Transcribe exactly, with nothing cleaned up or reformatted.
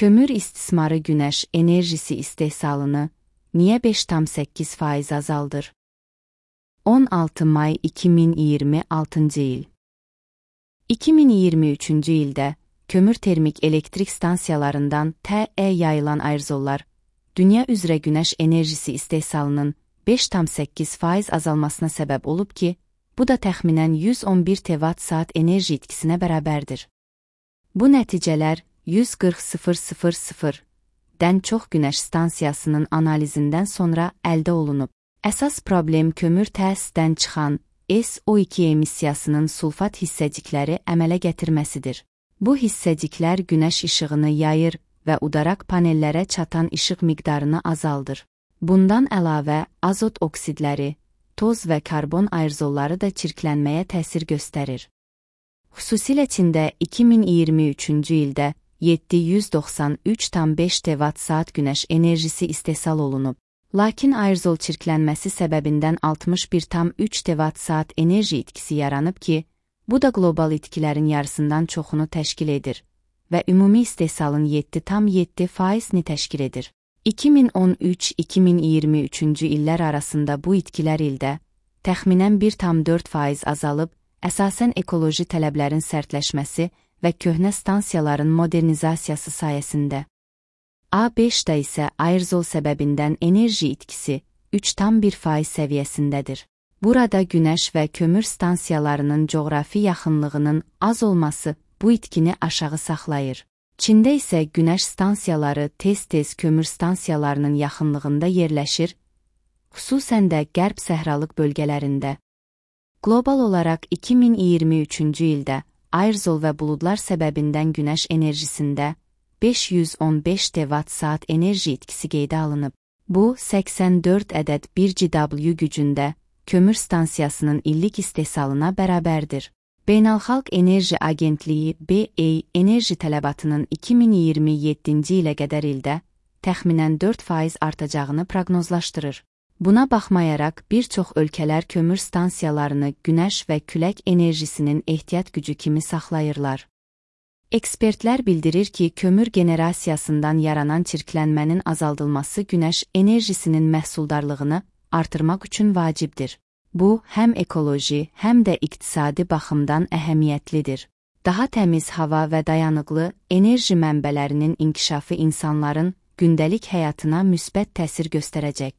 Kömür istismarı günəş enerjisi istehsalını niyə beş tam səkkiz faiz azaldır? on altı may iki min iyirmi altıncı il. iki min iyirmi üçüncü ildə kömür termik elektrik stansiyalarından T E yayılan aerozollar, dünya üzrə günəş enerjisi istehsalının beş tam səkkiz faiz azalmasına səbəb olub ki, bu da təxminən yüz on bir terawatt saat enerji itkisinə bərabərdir. Bu nəticələr yüz qırx min dən çox günəş stansiyasının analizindən sonra əldə olunub. Əsas problem kömür təsisdən çıxan S O iki emissiyasının sulfat hissəcikləri əmələ gətirməsidir. Bu hissəciklər günəş işığını yayır və udaraq panellərə çatan işıq miqdarını azaldır. Bundan əlavə azot oksidləri, toz və karbon aerozolları da çirklənməyə təsir göstərir. Xüsusilə Çində iki min iyirmi üçüncü ildə yeddi yüz doxsan üç tam beş terawatt saat günəş enerjisi istehsal olunub. Lakin aerozol çirklənməsi səbəbindən altmış bir tam üç terawatt saat enerji itkisi yaranıb ki, bu da qlobal itkilərin yarısından çoxunu təşkil edir və ümumi istehsalın yeddi tam yeddi faizini təşkil edir. iki min on üç iki min iyirmi üçüncü illər arasında bu itkilər ildə təxminən bir tam dörd faiz azalıb, əsasən ekoloji tələblərin sərtləşməsi və köhnə stansiyaların modernizasiyası sayəsində. A beşdə isə aerozol səbəbindən enerji itkisi üç tam bir faiz səviyyəsindədir. Burada günəş və kömür stansiyalarının coğrafi yaxınlığının az olması bu itkini aşağı saxlayır. Çində isə günəş stansiyaları tez-tez kömür stansiyalarının yaxınlığında yerləşir, xüsusən də qərb səhralıq bölgələrində. Qlobal olaraq iki min iyirmi üçüncü ildə aerozol və buludlar səbəbindən günəş enerjisində beş yüz on beş terawatt saat enerji itkisi qeydə alınıb. Bu, səksən dörd ədəd bir gigawatt gücündə kömür stansiyasının illik istehsalına bərabərdir. Beynəlxalq Enerji Agentliyi B E enerji tələbatının iki min iyirmi yeddinci ilə qədər ildə təxminən dörd faiz artacağını proqnozlaşdırır. Buna baxmayaraq, bir çox ölkələr kömür stansiyalarını günəş və külək enerjisinin ehtiyat gücü kimi saxlayırlar. Ekspertlər bildirir ki, kömür generasiyasından yaranan çirklənmənin azaldılması günəş enerjisinin məhsuldarlığını artırmaq üçün vacibdir. Bu, həm ekoloji, həm də iqtisadi baxımdan əhəmiyyətlidir. Daha təmiz hava və dayanıqlı enerji mənbələrinin inkişafı insanların gündəlik həyatına müsbət təsir göstərəcək.